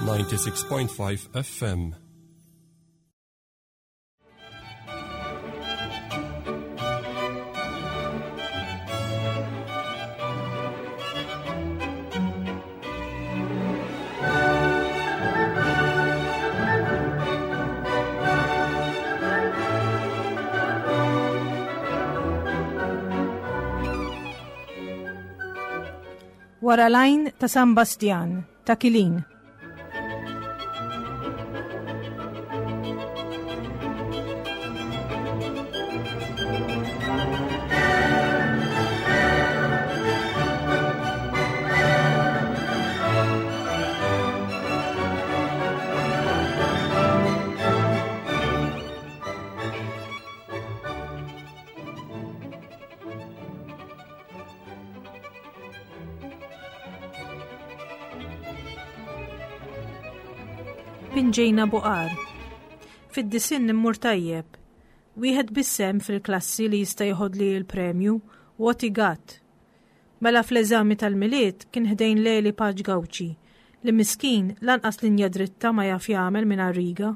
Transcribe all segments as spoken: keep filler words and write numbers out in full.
ninety-six point five F M. Wara l-għajn ta' San Bastjan, ta' Kilin. Pinġejna buqar. Fid-disinn immur tajjeb. Wieħed biss hemm fil-klassi li jista' jieħodli l-premju, Woti Gatt. Mela fl-eżami tal-Milied kien ħdejn Leli Paċ Gawċi, li miskin lanqas linja dritta ma jaf jagħmel mingħajr riga.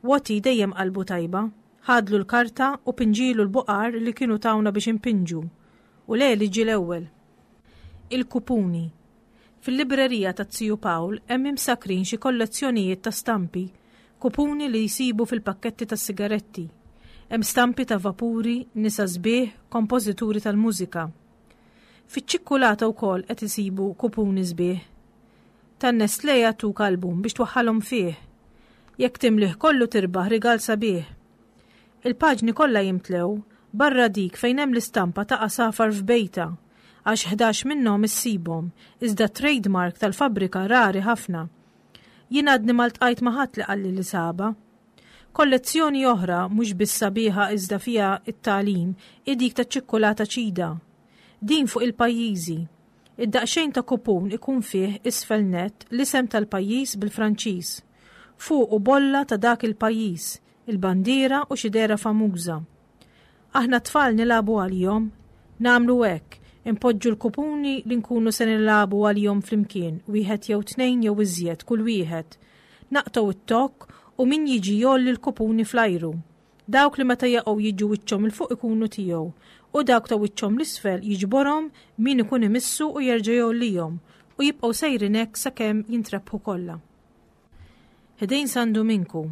Woti dejjem qalbu tajba, ħadlu l-karta u pinġilu l-buqar li kienu tawna biex impinġu, u Leli ġie l-ewwel. Il-kupuni. Fil-librerija ta' Ziju Pawl hemm imsakrin xi kollezzjonijiet ta' stampi, kupuni li jsibu fil-pakketti ta' sigaretti. Hemm stampi ta' vapuri, nisa sbieħ, kompożituri tal-mużika. Fiċ-ċikkulata wkoll qed isibu kupuni sbieħ. Tan-Nestlé jagħtuk album biex twaħħalhom fih. Jekk timlih kollu tirbaħ rigal sabiħ. Il-paġni kollha jimtlew barra dik fejn hemm l-istampa ta' għasafar f'bejta, għax ħdax minnhom issibhom, iżda trademark tal-fabbrika rari ħafna. Jien għadni ma ltqajt ma' ħadd li qalli li saba. Kollezzjoni oħra mhux biss sabiħa iżda fiha t-tagħlim hi dik taċ-ċikkulata ċida. Din fuq il-pajjiżi. Id-daqsxejn ta' kupun ikun fih isfel nett l-isem tal-pajjiż bil-Franċiż. Fuqu bolla ta' dak il-pajjiż, il-bandiera u xi dehra famuża. Aħna t-tfal nilagħbu għalihom, nagħmlu hekk, impoġġu l-kupuni li nkunu se nilagħbu għalihom flimkien, wieħed jew tnejn jew iżjed kull wieħed. Naqtgħu it-tokk u min jiġi jgħolli l-kupuni fl-ajru. Dawk li meta jaqgħu jiġu wiċċhom 'il fuq ikunu tiegħu, u dawk ta' wiċċhom l-isfel jiġborhom min ikun imissu u jerġa' jgħollihom u jibqgħu sejrin hekk sakemm jintrebħu kollha. Ħdejn San Duminku.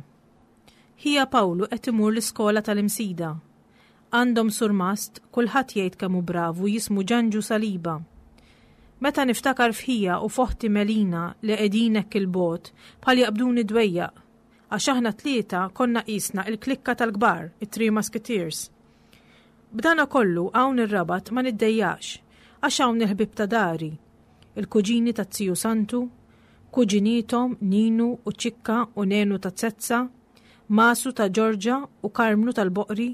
Ħija Pawlu qed imur l-iskola tal-Imsida. Għandhom surmast, kulħadd jgħid kemm hu bravu jismu Ġanġu Saliba. Meta niftakar f'ħija u foħti Melina li qegħdin hekk il-bogħod bħal jaqbduni dwejjaq, għax aħna tlieta konna qisna il-klikka tal-kbar, it-Three Musketeers. B'dana kollu hawn ir-Rabat ma niddejjax, għax hawn il-ħbieb ta' dari, il-kuġini ta' Ziju Santu, kuġinitom Ninu u Ċikka u Nenu ta' Zezza, Masu ta' Ġorġa u Karmnu tal-Boqri,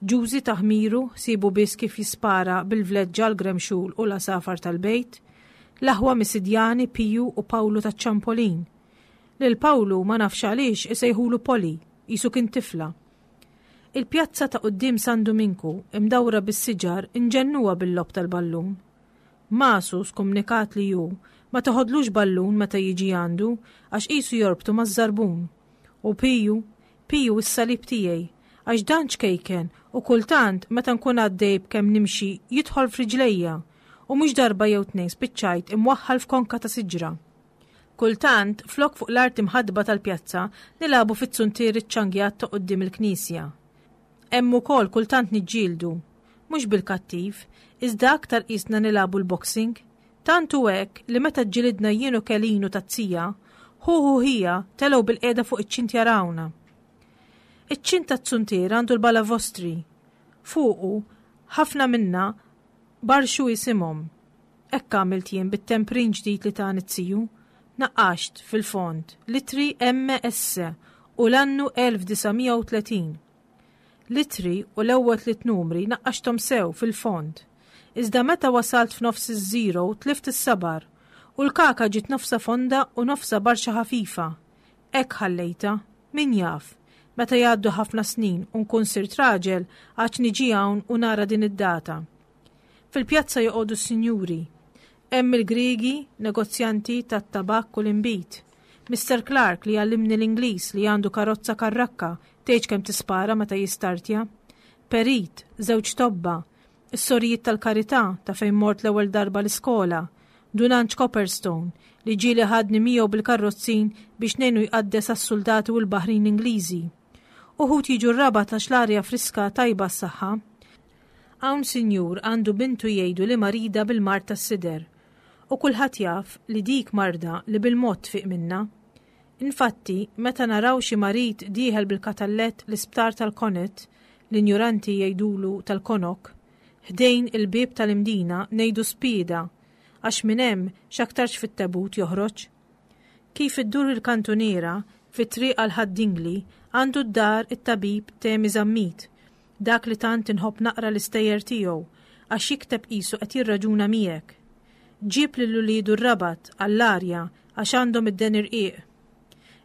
Ġużi ta' Ħmiru sibu biss kif jispara bil-vleġġa l-gremxul u l-asafar tal-bejt, l-aħwa Misidjani Piju u Pawlu ta' Ċampolin. Lil Pawlu ma nafx għaliex isejħulu Poli, qisu kien tifla. Il-pjazza ta' quddiem San Duminku imdawra bis-siġar inġennuha bil-logħob tal-ballun. Masu skumnikat li hu ma toħodlux ballun meta jiġi għandu għax qisu jorbtu maż-żarbun. U Piju, Piju s-salib tiegħi, għax dan ċkejken u kultant meta nkun għaddej b'kemm nimxi jidħol f'riġlejja u mhux darba jew tnejn spiċċajt imwaħħal f'konka ta' siġra. Kultant, flok fuq l-art imħadba tal-pjazza, nilagħbu fit-suntier iċ-ċangjat ta' quddiem il-knisja. Hemm ukoll kultant niġġieldu, mhux bil-kattiv, iżda aktar qisna nilagħbu l-boxing. Tant hu hekk li meta ġġilidna jien u Kelinu tazzija, hu hu ħija telgħu bil-qiegħda fuq iċ-ċint jarawna. Iċ-ċint tat-suntier għandu l-balavostri. Fuqu ħafna minna barxu isimhom. Hekk għamilt jien bit-temprin ġdid li tani t-siju. Naqqaxt fil-fond litri M S u l-annu elf disa' mija u tletin. Litri u l-ewwel tliet numri naqqaxthom sew fil-fond. Iżda meta wasalt f'nofs iż-żero tlift is-sabar u l-kaka ġiet nofsa fonda u nofsa barxa ħafifa. Hekk ħallejta, min jaf, meta jgħaddu ħafna snin u nkun sirt raġel għax niġi hawn u nara din id-data. Fil-pjazza joqogħdu s-sinjuri. Hemm il-Griegi, negozjanti tat-tabakk u l-inbid, Mister Clark li għallimni l-Ingliż li għandu karozza karrakka tgħidx kemm tispara meta jistartja. Perit, żewġ tobba, is-sorijiet tal-karità ta' fejn mort l-ewwel darba l-iskola, Dun Anġ Copperstone li ġieli ħadni miegħu bil-karrozzin biex ngħinu jqaddes għas-suldati u l-baħrin Ingliżi. Uħud jiġu r-Rabat għax l-arja friska tajba għas-saħħa. Hawn sinjur għandu bintu jgħidu li marida bil-mard tas-sider. U kulħadd jaf li dik marda li bil-mod tfiq minnha. Infatti, meta naraw xi marid dieħel bil-katallett l-isptar tal-Connaught, l-injuranti jgħidulu tal-Konok, ħdejn il-bieb tal-Imdina ngħidu spieda, għax minn hemm x'aktarx fit-tebut joħroġ. Kif iddur il-kantuniera, fit-triq għal Ħad-Dingli, għandu d-dar it-tabib Temi Zammit, dak li tant inħobb naqra l-istejjer tiegħu għax jikteb qisu qed jirraġuna miegħek. Ġieb lil uliedu r-Rabat għall-arja għax għandhom id-deni rqiq.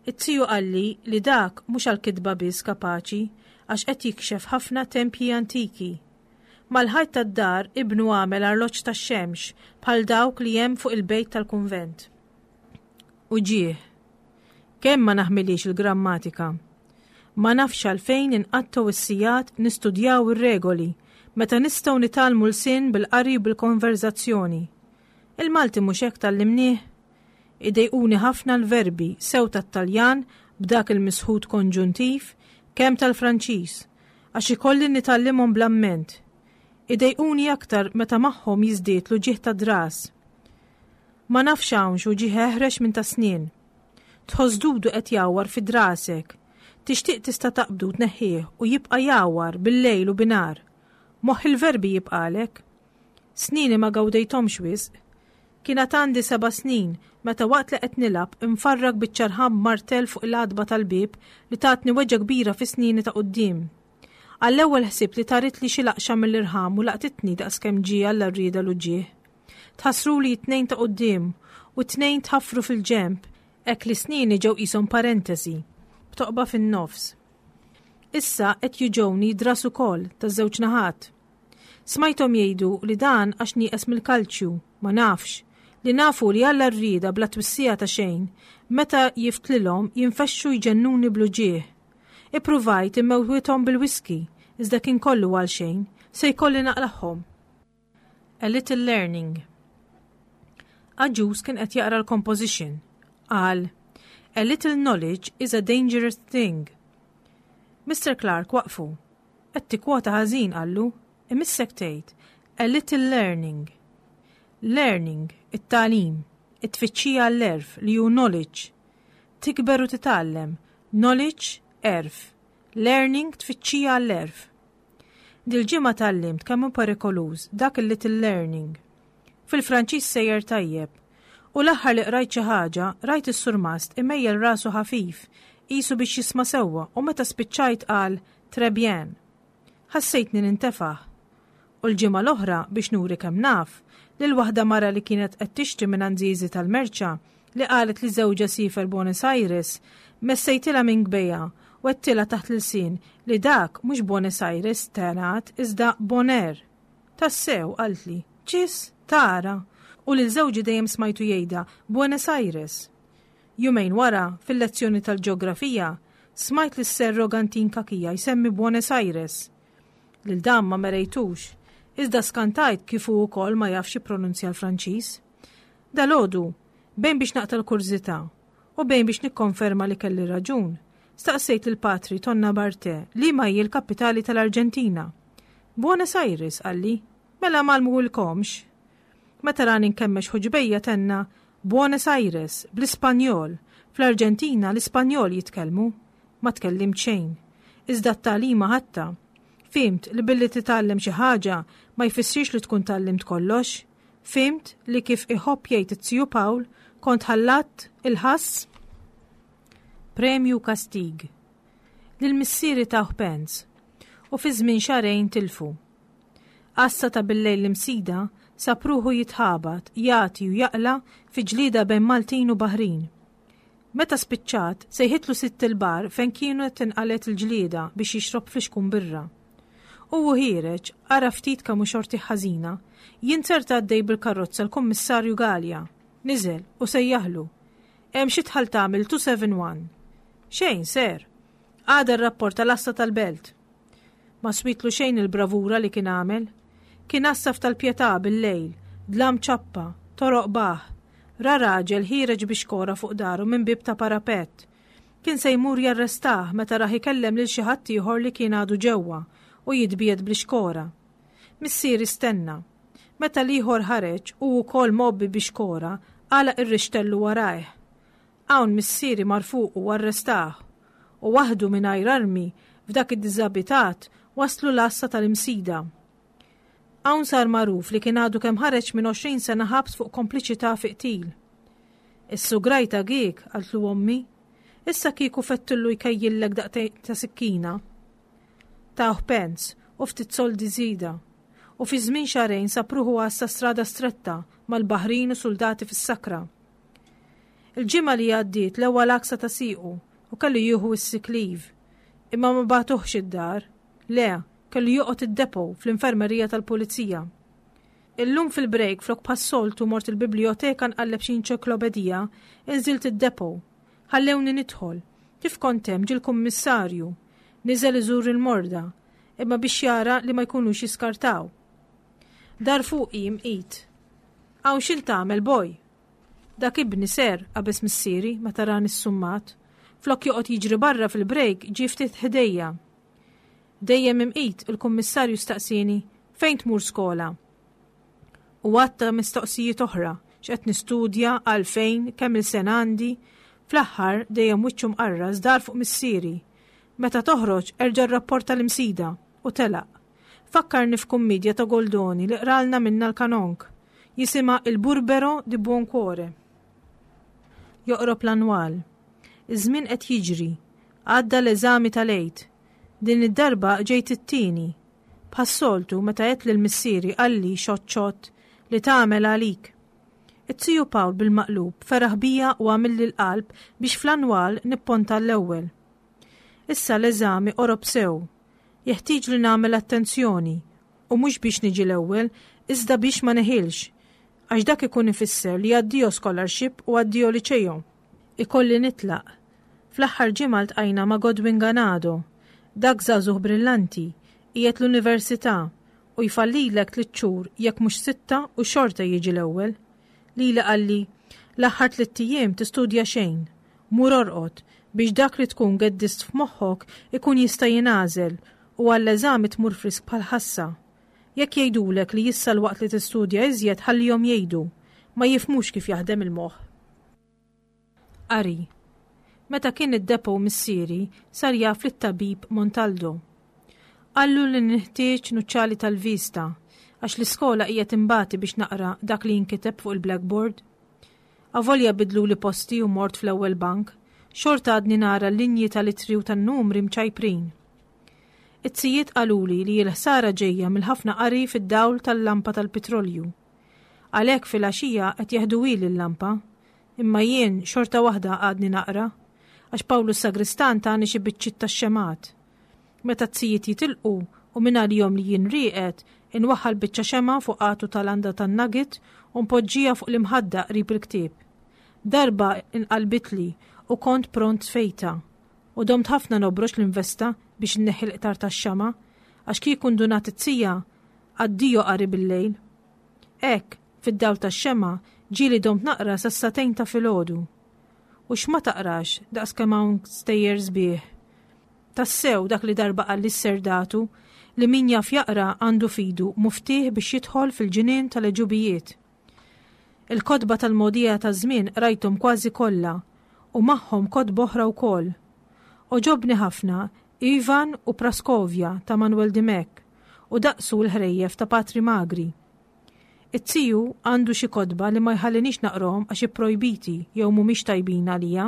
It-tiju qalli li dak mhux għall-kitba biss kapaċi għax qed jikxef ħafna tempji antiki. Mal-ħajt tad-dar ibnu għamel arloġġ tax-xemx bħal dawk li hemm fuq il-bejt tal-kunvent. Uġigħ. Kemm ma naħmilhiex il-grammatika. Ma nafx għalfejn inqattgħu s-sigħat nistudjaw ir-regoli meta nistgħu nitgħallmu lsien bil-qari u bil-konverżazzjoni. Il-Malti mhux hekk tgħallimnieh? Idejquni ħafna l-verbi sew tat-Taljan b'dak il-misħut konġuntiv kemm tal-Franċiż għax ikolli nitgħallimhom bl-amment. Idejquni aktar meta magħhom jiżdied l-uġigħ tad-dras. Ma nafx hawnx uġigħ eħrex minn ta' snien. Tħoss dudu qed jgħawwar fi drasek. Tixtieq tista' taqbdu tneħħih u jibqa' jgħawwar bil-lejl u binhar. Moħħ il-verbi jibqalek. Snini ma gawdejthomx wisq. Kien għad għandi seba' snin meta waqt li qed nilgħab infarrak biċċa rħam b'martell fuq il-għatba tal-bieb li tatni weġgħa kbira fi snini ta' quddiem. Għall-ewwel ħsibt li taritli xi laqxa mill-irħam u laqtitni daqskemm ġie Alla rrieda l-uġigħ. Tħassruli t-tnejn ta' quddiem u t-tnejn tħaffru fil-ġenb hekk li snini ġew qishom parentesi, b'toqba fin-nofs. Issa qed juġgħuni dras ukoll taż-żewġ naħat. Smajthom jgħidu li dan għax nieqes mill-kalċju, ma nafx, li nafu li Alla rrieda bla twissija ta' xejn, meta jiftlilhom jinfexxu jġennuni bl-uġigħ. Ippruvajt immewwithom bil-whisky, iżda kien kollu għal xejn, se jkolli naqlagħhom. A Little Learning. Agius kien qed jaqra l-composition. Qal, A little knowledge is a dangerous thing. Mister Clark waqfu. Qed tikkwota ħażin qallu, imissek tgħid, a little learning. Learning, it-tagħlim, it-tfittxija għall-għerf li hu knowledge. Tikber u titgħallem, knowledge, għerf. Learning, tfittxija għall-għerf. Dil-ġimgħa tgħallimt kemm hu perikoluż dak il-little learning. Fil-Franċiż sejjer tajjeb. U l-aħħar li qrajt xi ħaġa, rajt is-surmast imejjel rasu ħafif, qisu biex jisma' sewwa u meta spiċċajt qal très bien. Ħassejtni nintefaħ. U l-ġimgħa l-oħra biex nuri kemm naf, lil waħda mara li kienet qed tixtri minn Zizi tal-merċa li qalet li żewġha siefer Buenos Aires, messejtilha minn kbejja u għedtilha taħt l-ilsien li dak mhux Buenos Aires tenat iżda Bonaire. Tassew, qaltli, ċis, tara, u lil żewġi dejjem smajtu jgħidha Buenos Aires. Jumejn wara, fil-lezzjoni tal-ġeografija, smajt lis Sir Rogantin Kakija jsemmi Buenos Aires. Lil dan ma merejtux, iżda skantajt kif hu wkoll ma jafx jippronunzja l-Franċiż. Dalgħodu, bejn biex naqta' l-kurżità u bejn biex nikkonferma li kelli raġun, staqsejt lil Patri Tonna Barte liema hi l-kapitali tal-Arġentina. Buenos Aires, qalli, mela m'għallmuhielkomx. Meta rani nkemmex ħuġbejja tenna Buenos Aires, bl-Ispanjol, fl-Arġentina l-Ispanjol jitkellmu. Ma tkellimt xejn. Iżda t-tagħlima ħadtha. Fhimt li billi titgħallem xi ħaġa ma jfissirx li tkun tgħallimt kollox. Fhimt li kif iħobb jgħid it-tiju Pawl kont ħallatt il-ħass. Premju kastig. Lil missieri tawh pens u fi żmien xahrejn tilfu. Għassa ta' billejl l-Imsida sab ruħu jitħabat, jagħti u jaqla fi ġlieda bejn Maltin u Baħrin. Meta spiċċat, sejħitlu sitt il-bar fejn kienu qed tinqalet il-ġlieda biex jixrob flixkun birra. U hu ħiereġ, ara ftit kemm hu xorti ħażina, jinzerta għaddej bil-karozza l-Kummissarju Galea. Niżel u sejjaħlu. Hemm xi tħall tagħmel two seven one. Xejn, sir. Għada r-rapport tal-għassa tal-belt. Ma switlu xejn il-bravura li kien għamel. Kien għassaf tal-Pietà bil-lejl, dlam ċappa, toroq baħ. Ra raġel ħiereġ bi xkora fuq daru minn bib ta' parapett. Kien se jmur jarrestah meta rah ikellem lil xi ħadd ieħor li kien għadu ġewwa u jitbiegħed bl-ixkora. Missieri stenna. Meta l-ieħor ħareġ u wkoll mgħobbi bi xkora, għalaq ir-rixtellu warajh. Hawn missieri mar fuqu u arrestah. U waħdu mingħajr armi f'dak id-diżabitat waslu l-għassa tal-Imsida. Hawn sar magħruf li kien għadu kemm ħareġ minn għoxrin sena ħabs fuq kompliċità fi qtil. Is-sugrajta giek, qaltlu ommi, issa kieku fettillu jkejjillek daqtejn ta' sikkina. Tawh pens u ftit soldi żieda. U fi żmien xahrejn sab ruħu għassa strada stretta mal-baħrin u soldati fis-sakra. Il-ġimgħa li għaddiet l-ewwel għaksa ta' siequ u kellu jieħu s-sick leave. Imma ma bagħtuhx id-dar. Le, kellu joqgħod id-depo fl-infermerija tal-pulizija. Illum fil-break flok bħas-soltu mort il-biblioteka nqalleb xi enċiklopedija, inżilt id-depo. Ħallewni nidħol. Kif kont hemm ġie l-kummissarju. Niżel iżur il-morda, imma biex jara li ma jkunux jiskartaw. Dar fuqi imqit. Hawn x'int tagħmel, boj? Dak ibni ser, qabeż missieri meta rani ssummat. Flok joqgħod jiġri barra fil-break ġie ftit ħdejja. Dejjem imqit il-kummissarju staqsieni fejn tmur skola. U għatta mistoqsijiet oħra, x'qed nistudja, għalfejn, kemm il-sena għandi. Fl-aħħar dejjem wiċċu mqarras dar fuq missieri. Meta toħroġ erġa' rrapporta l-Imsida u telaq. Fakkarni f'kummedja ta' Goldoni li qralna minna l-kanonk. Jisimha Il Burbero di Buon Cuore. Joqrob l-annwal. Iż-żmien qed jiġri. Għadda l-eżami tal-Għid. Din id-darba ġejt it-tieni. Bħas-soltu meta għedt lil missieri qalli xott xott li tagħmel għalik. It-tiju Pawl bil-maqlub feraħ bija u għamilli l-qalb biex fl-annwal nipponta l-ewwel. Issa l-eżami qorob sew. Jeħtieġ li nagħmel attenzjoni u mhux biex niġi l-ewwel, iżda biex ma neħilx, għax dak ikun ifisser li addio scholarship u addio liċejo. Ikolli nitlaq. Fl-aħħar ġimgħa ltqajna ma' Godwin Ganado, dak żagħżugħ brillanti, qiegħed l-università u jfallilek tliet xhur jekk mhux sitta u xorta jiġi l-ewwel. Lili qalli, l-aħħar tliet ijiem tistudja xejn, mur orqod biex dak li tkun geddist f'moħħok ikun jista' jingħażel u għall-eżami tmur frisk bħal ħassa. Jekk jgħidulek li issa l-waqt li tistudja iżjed ħallihom jgħidu, ma jifhmux kif jaħdem il-moħħ. Qari. Meta kien id-depo missieri sar jaf lit-tabib Montaldo. Qallu li nħtieġ nuċċali tal-vista għax l-iskola hija timbati biex naqra dak li jinkiteb fuq il-blackboard. Avolja bidlu li posti u mort fl-ewwel bank, xorta għadni nara l-linji tal-itri u tan-numri mċajprin. It-tzijiet qaluli li l-ħsara ġejja mill-ħafna qari fid-dawl tal-lampa tal-petrolju. Għalhekk fil-għaxija qed jeħdu ili l-lampa, imma jien xorta waħda għadni naqra, għax Pawlu s-sagristan tani xi biċċiet tax-xemgħat. Meta t-tzijiet jitilqu u minn għalihom li jien rieqed, inwaħħal biċċa xemgħa fuq għatu tal-għanda tan-nugget u npoġġija fuq l-imħadda qrib il-ktieb. Darba inqalbitli u kont pront fejta. U domt ħafna nobrox l-investa biex nneħħi l-qtar tax-xama, għax kieku ndunat it-tija, addio qari bil-lejl. Hekk, fid-dawl tax-xema, ġieli domt naqra sas-sagħtejn ta' filgħodu. U x'ma taqrax daqs kemm hawn stejjer sbieħ. Tassew dak li darba qal lis-serdatu li min jaf jaqra għandu fidu muftih biex jidħol fil-ġinien tal-eġubijiet. Il-kotba tal-mogħdija taż-żmien qrajthom kważi kollha u magħhom kotba oħra wkoll. Oġobni ħafna Ivan u Praskovja ta' Manuel Dimech u daqsu l-ħrejjef ta' Patri Magri. It-tiju għandu xi kotba li ma jħallinix naqrahom għax ipprojbiti jew mhumiex tajbin għalija.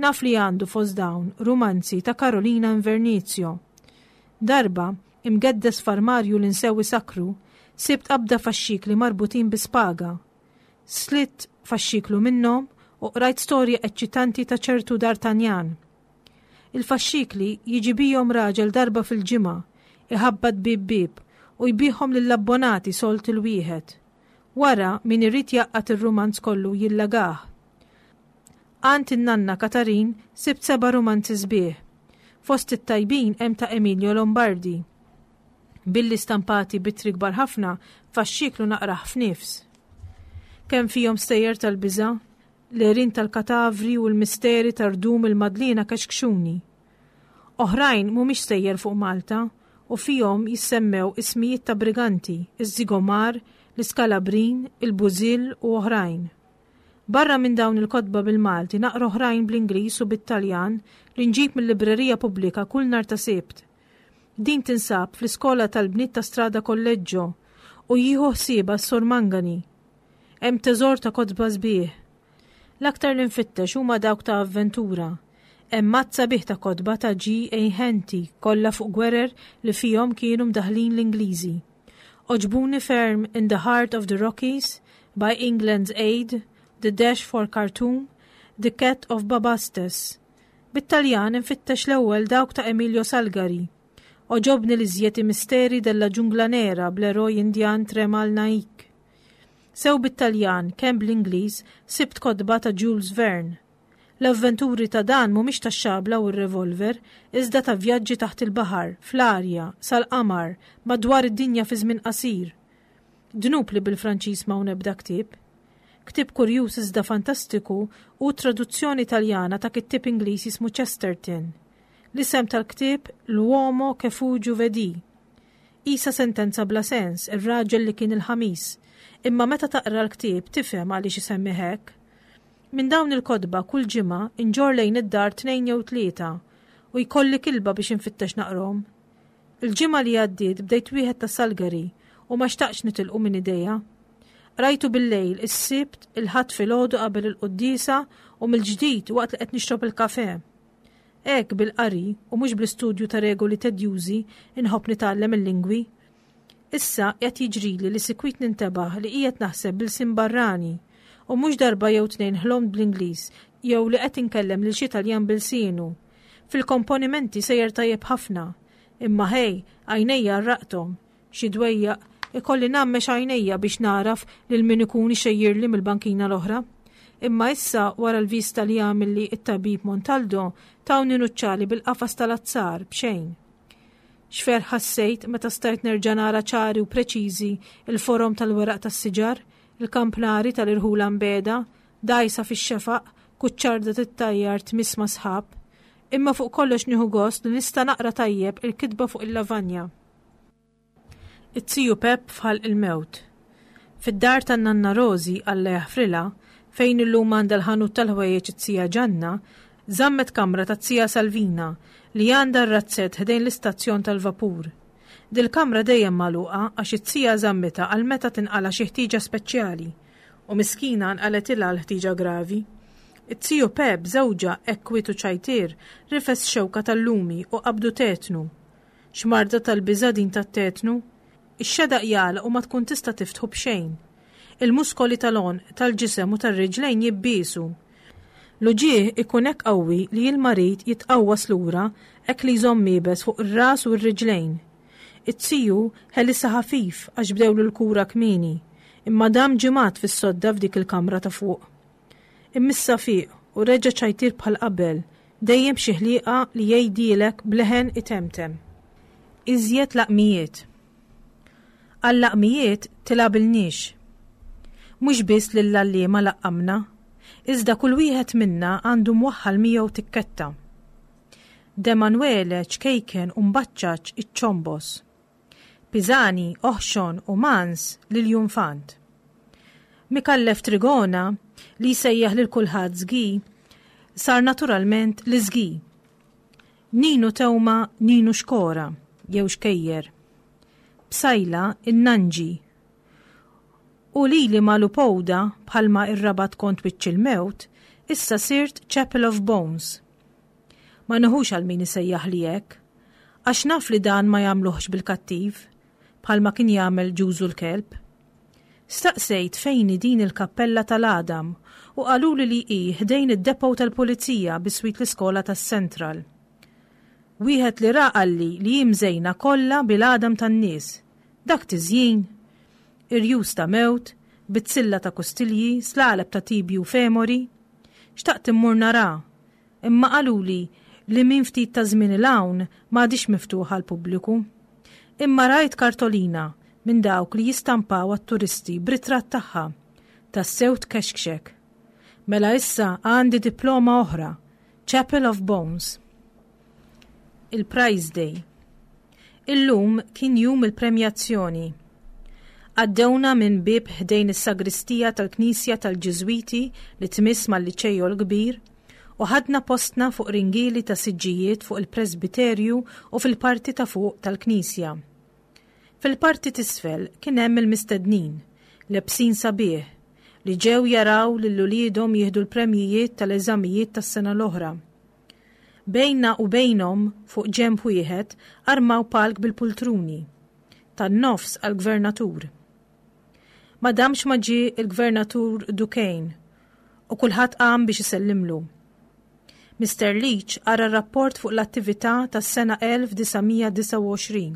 Naf li għandu fost dawn rumanzi ta' Carolina Invernizio. Darba, imgeddes f'armarju li nsewi sakru, sibt qabda faxxikli marbutin bi spaga. Slitt faxxiklu minnhom u qrajt storja eċċitanti ta' ċertu D'Artagnan. Il-faxxikli jiġi bijhom raġel darba fil-ġimgħa, iħabbat bib bib u jbigħhom lill-abbonati solt il-wieħed. Wara min irid jaqgħad ir-rumanz kollu jillagah. Għand in-nanna Katarin sibt seba' rumanzi sbieħ. Fost it-tajbin hemm ta' Emilio Lombardi. Billi stampati b'ittri kbar ħafna, faxxiklu naqrah f'nifs. Kemm fihom stejjer tal-biża', l-għerien tal-katavri u l-misteri tar-rdum il-Madliena kexkxuni. Oħrajn mhumiex stejjer fuq Malta u fihom jissemmew ismijiet ta' briganti, iż-Zigomar, l-Iskalabrin, il-Bużill u oħrajn. Barra minn dawn il-kotba bil-Malti naqra oħrajn bl-Ingliż u bit-Taljan li nġib mill-librerija pubblika kull nhar ta' Sibt. Din tinsab fl-iskola tal-bniet ta' Strada Collegio u jieħu ħsiebha s-Sur Mangani. Hemm teżor ta' kotba sbieħ. L-aktar li nfittex huma dawk ta' avventura. Hemm għadd sabiħ ta' kotba ta' G. A. Henty kollha fuq gwerer li fihom kienu mdaħlin l-Ingliżi. Għoġbuni ferm In the Heart of the Rockies, By England's Aid, The Dash for Khartoum, The Cat of Bubastis. Bit-Taljan infittex l-ewwel dawk ta' Emilio Salgari. Għoġobni l-iżjed I Misteri della Giungla Nera bl-eroj Indjan Tremal Naik. Sew bit-Taljan kemm bl-Ingliż sibt kotba ta' Jules Verne. L-avventuri ta' dan mhumiex tax-xabla u r-revolver, iżda ta' vjaġġi taħt il-baħar, fl-arja, sal-qamar, madwar id-dinja fi żmien qasir. Dnub li bil-Franċiż m'hawn ebda ktieb. Ktieb kurjuż iżda fantastiku hu traduzzjoni Taljana ta' kittieb Ingliż jismu Chesterton. L-isem tal-ktieb L'uomo che fu giovedì. Qisha sentenza bla sens, ir-raġel li kien il-Ħamis. Imma meta taqra l-ktieb tifhem għaliex isemmi hekk. Minn dawn il-kotba kull ġimgħa inġorr lejn id-dar tnejn jew tlieta u jkolli kilba biex infittex naqrahom. Il-ġimgħa li għaddiet bdejt wieħed ta' Salgari u ma xtaqtx nitilqu minn idejja. Qrajtu bil-lejl, is-Sibt, il-Ħadd filgħodu qabel il-quddiesa u mill-ġdid waqt li qed nixrob il-kafè. Hekk bil-qari u mhux bl-istudju ta' regoli tedjużi inħobb nitgħallem il-lingwi. Issa qed jiġrili li sikwit nintebaħ li qiegħed naħseb b'ilsien barrani u mhux darba jew tnejn ħlomt bl-Ingliż jew li qed inkellem lil xi Taljan b'ilsienu. Fil-komponimenti sejjer tajjeb ħafna, imma ħej, għajnejja rraqthom. Xi dwejjaq ikolli ngħammex għajnejja biex naraf lil min ikun ixejjirli mill-bankina l-oħra. Imma issa wara l-vista li għamilli it-tabib Montaldo tawni nuċċali bil-qafas tal-azzar b'xejn. X'ferħ ħassejt meta stajt nerġa' nara ċari u preċiżi il-forom tal-weraq tas-siġar, il-kampnari tal-irħula mbeda, dgħajsa fix-xefaq, kuċċarda tittajjar tmiss ma' sħab. Imma fuq kollox nieħu gost li nista' naqra tajjeb il-kitba fuq il-lavanja. It-tiju Pep f'ħalq il-mewt. Fid-dar tan-nanna Rosi, Alla jaħfrilha, fejn illum għandha l-ħanut tal-ħwejjeġ it-tija Ġanna, żammet kamra ta' tija Salvina li għandha r-razzett ħdejn l-istazzjon tal-vapur. Dil-kamra dejjem magħluqa għax it-tija żammitha għal meta tinqala xi ħtieġa speċjali u miskina nqaletilha l-ħtieġa gravi. It-tiju Pep żewġha hekk kwiet u ċajtier rifes xewka tal-lumi u qabdu tetnu. X'marda tal-biża' din tat-tetnu? Ix-xedaq jagħlaq u ma tkun tista' tiftħu b'xejn. Il-muskoli tal-għonq, tal-ġisem u tar-riġlejn jibbiesu. L-uġigħ ikun hekk qawwi li l-marid jitqawwas lura hekk li jżomm iebes fuq ir-ras u r-riġlejn. It-tiju ħelisha ħafif għax bdewlu l-kura kmieni, imma dam ġimgħat fis-sodda f'dik il-kamra ta' fuq. Imma issa fieq u reġa' ċajtier bħal qabel, dejjem xi ħliqa li jgħidilek b'leħen itemtem. Iżjed laqmijiet. Għal-laqmijiet tilgħabilniex. Mhux biss lill-għalliema laqqamna, iżda kull wieħed minna għandu mwaħħal miegħu tikketta. Demanuele ċkejken u mbaċċaċ iċ-ċombos. Pisani, oħxon u mans lil Junfant. Mikallef Trigona li jsejjaħ lil kulħadd żgi, sar naturalment l-iżgi. Ninu Tewma Ninu Xkora jew Xkejjer. Psaila in-Nanġi. U lili Malupowda bħalma ir-Rabat kont wiċċ il-mewt, issa sirt Chapel of Bones. Ma neħux għal min isejjaħ li hekk, għax naf li dan ma jagħmluhx bil-kattiv, bħalma kien jagħmel ġużu l-kelb. Staqsejt fejn din il-kappella tal-għadam u qaluli li hi ħdejn id-depot tal-pulizija biswit l-iskola tas-Central. Wieħed li ra qalli li hi mżejna kollha bil-għadam tan-nies. Dak tiżjin, irjus ta' mewt, bizzilla ta' kustilji, slaleb ta' tibji u femori. Xtaqt immur nara, imma qaluli li minn ftit ta' żmien 'l hawn m'għadhiex miftuħa għall-pubbliku. Imma rajt kartolina minn dawk li jistampaw għat-turisti b'ritratt tagħha, tassew tkexkxek. Mela issa għandi diploma oħra, Chapel of Bones. Il-Prize Day. Illum kien jum il-premjazzjoni. Għaddewna minn bieb ħdejn is-sagristija tal-Knisja tal-Ġiżwiti li tmiss mal-Liċejo l-Kbir u ħadna postna fuq ringieli ta' siġġijiet fuq il-presbiterju u fil-parti ta' fuq tal-Knisja. Fil-parti t'isfel kien hemm il-mistednin, lebsin sabiħ, li ġew jaraw lil uliedhom jieħdu l-premjijiet tal-eżamijiet tas-sena l-oħra. Bejna u bejnhom fuq ġenb wieħed armaw palk bil-pultruni, tan-nofs għall-gvernatur. Ma damx ma ġie il-gvernatur Duquesne u kulħadd qam biex isellimlu. Mister Leach qara rapport fuq l-attività tas-sena elf disa' mija disgħa u għoxrin.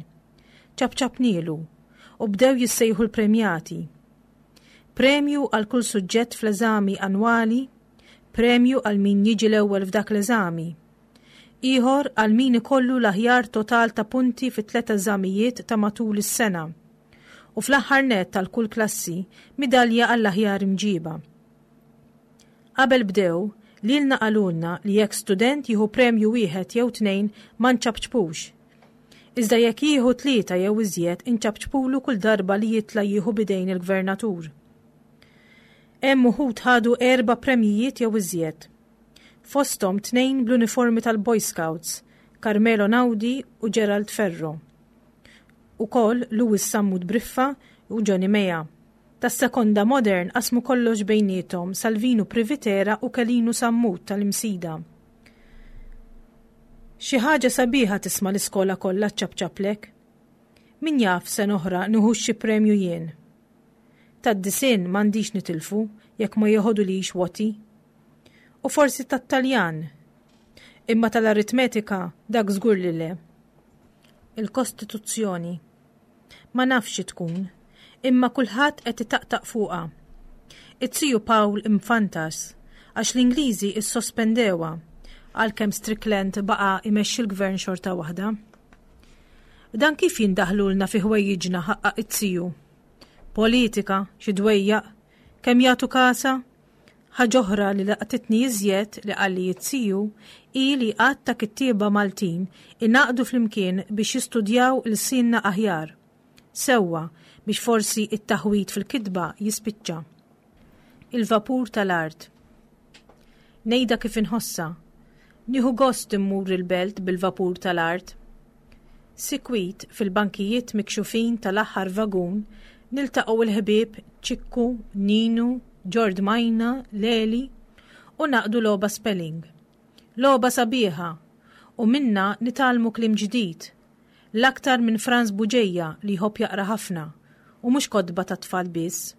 Ċapċapnielu u bdew jissejħu l-premjati. Premju għal kull suġġett fl-eżami annwali, premju għal min jiġi l-ewwel f'dak l-eżami. Ieħor għal min ikollu l-aħjar total ta' punti fi tliet eżamijiet ta' matul is-sena. U fl-aħħar nett għal kull klassi midalja għall-aħjar imġiba. Qabel bdew, lilna qalulna li jekk student jieħu premju wieħed jew tnejn ma nċapċpux. Iżda jekk jieħu tlieta jew iżjed inċapċpulu kull darba li jitla' jieħu bidejn il-gvernatur. Hemm uħud ħadu erba' premjijiet jew iżjed. Fosthom tnejn bl-uniformi tal-Boy Scouts, Carmelo Naudi u Gerald Ferro. Ukoll Louis Sammut Briffa u Johnny Meja. Tas-sekonda modern qasmu kollox bejniethom Salvinu Privitera u Kelinu Sammut tal-Imsida. Xi ħaġa sabiħa tisma' l-iskola kollha ċapċaplek. Min jaf sen oħra nieħux xi premju jien. Tad-disinn m'għandix nitilfu jekk ma jeħodulix woti. U forsi tat-Taljan. Imma tal-aritmetika dak żgur li le. Il-Kostituzzjoni. Ma nafx xi tkun, imma kulħadd qed itaqtaq fuqha. It-tiju Paul imfantas għax l-Ingliżi issospendewha għalkemm Strickland baqa' imexxi l-gvern xorta waħda. Dan kif jindaħlulna fi ħwejjiġna ħaqqa it-tiju? Politika, xi dwejjaq, kemm jagħtu kasa? Ħaġa oħra li laqtitni iżjed li qalli it-tiju hi li għadd ta' kittieba Maltin ingħaqdu flimkien biex jistudjaw il-sinna aħjar. Sewwa biex forsi it-taħwid fil-kitba jispiċċa. Il-vapur tal-art. Ngħidha kif inħossa. Nieħu gost immur il-belt bil-vapur tal-art. Sikwit fil-bankijiet mikxufin tal-aħħar vagun niltaqgħu il-ħbieb Ċikku, Ninu, Ġord Majna, Leli u naqdu logħba spelling. Logħba sabiħa u minna nitgħallmu kliem ġdid. L-aktar minn Franz Buġeja li jħobb jaqra ħafna u mhux kotba ta' tfal biss.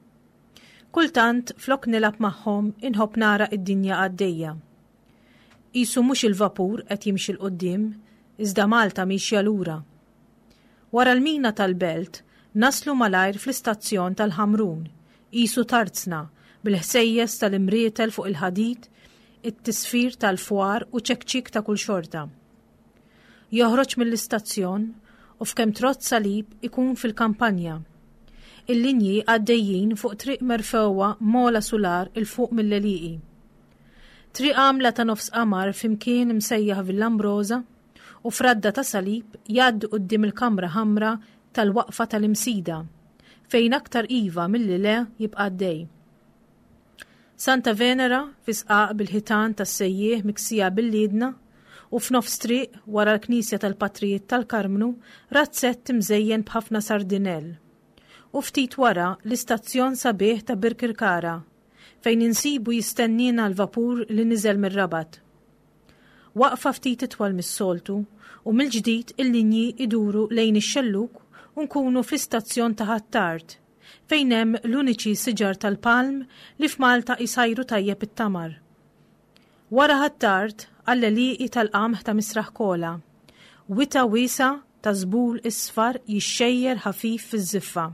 Kultant flok nilgħab magħhom inħobb nara id-dinja għaddejja. Qisu mhux il-vapur qed jimxi 'l quddiem, iżda Malta mixja lura. Wara l-mina tal-belt naslu malajr fl-istazzjon tal-Ħamrun, qisu tarzna bil-ħsejjes tal-imrietel fuq il-ħadid, it-tisfir tal-fwar u ċekċik ta' kull xorta. Joħroġ mill-istazzjon u f'kemm trott salib ikun fil-kampanja. Il-linji għaddejjin fuq triq merfewwa mola sular il fuq mill-għelieqi. Triq għamla ta' nofs qamar fimkien imsejjaħ Villambrosa u fradda ta' salib jgħaddu quddiem il-kamra ħamra tal-waqfa tal-Imsida, fejn aktar iva milli le jibqa' għaddej. Santa Venera fi sqaq bil-ħitan tas-sejjieħ miksija bil-liedna u f'nofs triq wara l-Knisja tal-Patrijiet tal-Karmnu razzett imżejjen b'ħafna sardinell. U ftit wara l-istazzjon sabiħ ta' Birkirkara, fejn insibu jistennina l-vapur li niżel mir-Rabat. Waqfa ftit itwal mis-soltu u mill-ġdid il-linji iduru lejn ix-xelluk u nkunu fl-istazzjon ta' Ħ'Attard, fejn hemm l-uniċi siġar tal-palm li f'Malta jsajru tajjeb it-tamar. Wara Ħ'Attard għall-għelieqi tal-qamħ ta' Misraħ Kola, wita wiesa ta' żbul isfar jixxejjer ħafif fiż-żiffa.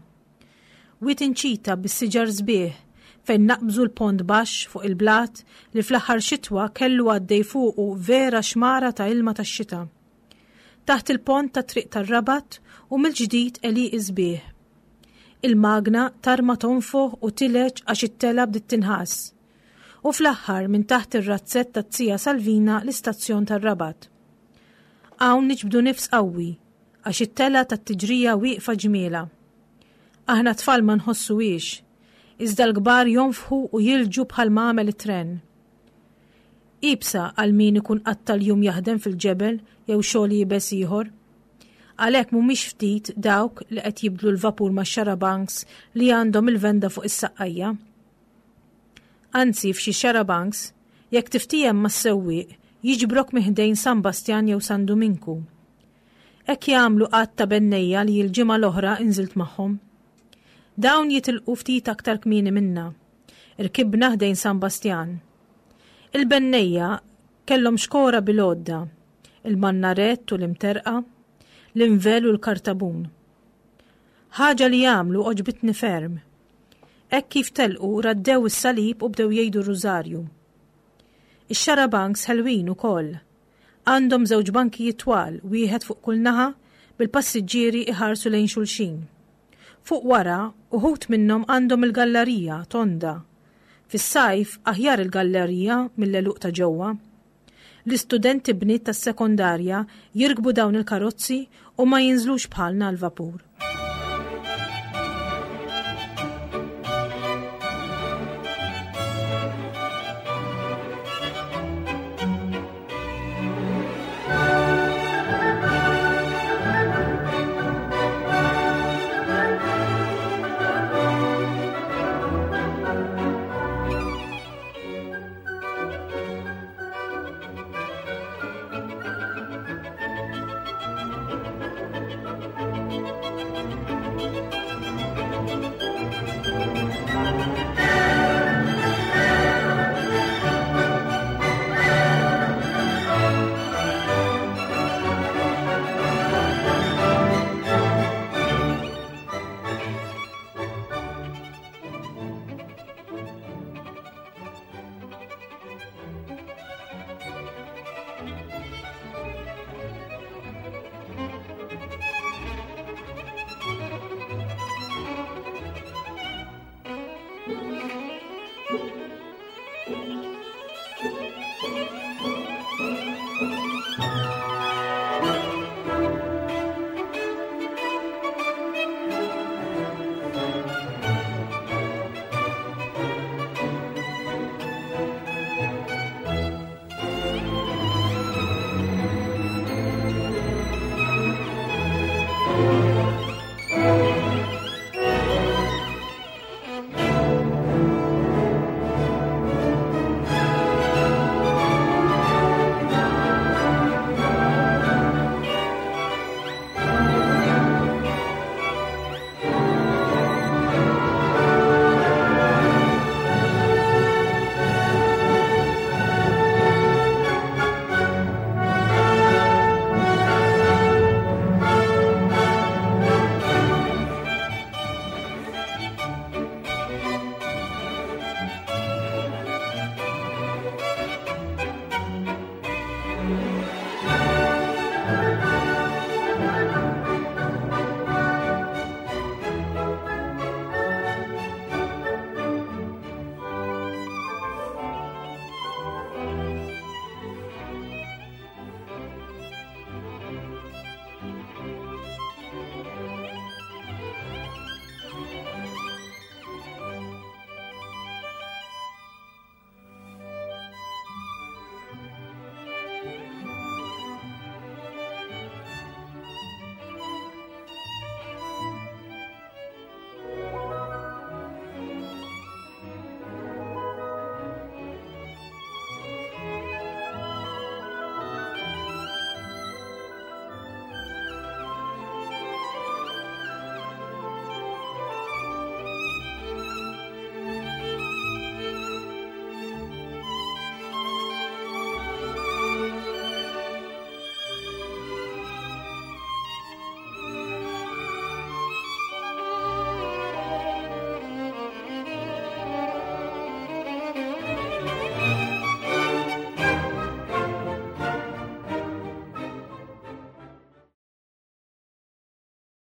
Wit inċita bis-siġar sbieħ Fejn naqbżu l-pont baxx fuq il-blat li fl-aħħar xitwa kellu għaddej fuqu vera xmara ta' ilma tax-xita. Taħt il-pont ta' triq tar-Rabat u mill-ġdid għelieqi sbieħ. Il-magna tarma tonfoħ u tileġ għax it-tela bdiet tinħass. U fl-aħħar minn taħt ir-razzett ta' Zija Salvina l-istazzjon tar-Rabat. Hawn niġbdu nifs qawwi għax it-tela tat-tiġrija wieqfa ġmiela. Aħna tfal ma nħossuhiex, iżda l-kbar jonfħu u jilġu bħal ma għamel it-tren. Iebsa għal min ikun qatta' l-jum jaħdem fil-ġebel jew xogħol iebes ieħor. Għalhekk mhumiex ftit dawk li qed jibdlu l-vapur ma' xarabanks li għandhom il-venda fuq is-saqqajja. Anzi, f'xi xarabanks, jekk tiftiehem mas-sewwieq, jiġbrok minn ħdejn San Bastjan jew San Duminku. Hekk jagħmlu qatt ta' bennejja li l-ġimgħa l-oħra inżilt magħhom. Dawn jitilqu ftit aktar kmieni minna. Irkibna ħdejn San Bastjan. Il-bennejja kellhom xkora bil-għodda, il-mannarett u l-imterqa, l-invel u l-kartabun. Ħaġa li jagħmlu għoġbitni ferm. Hekk kif telqu raddew is-salib u bdew jgħidu r-rużarju. Ix-xarabanks ħelwin ukoll. Għandhom żewġ bankijiet twal, wieħed fuq kull naħa, bil-passiġġieri iħarsu lejn xulxin. Fuq wara, uħud minnhom għandhom il-gallerija tonda. Fis-sajf aħjar il-gallerija mill-għeluq ta' ġewwa. L-istudenti bniet tas-sekondarja jirkbu dawn il-karozzi u ma jinżlux bħalna l-vapur.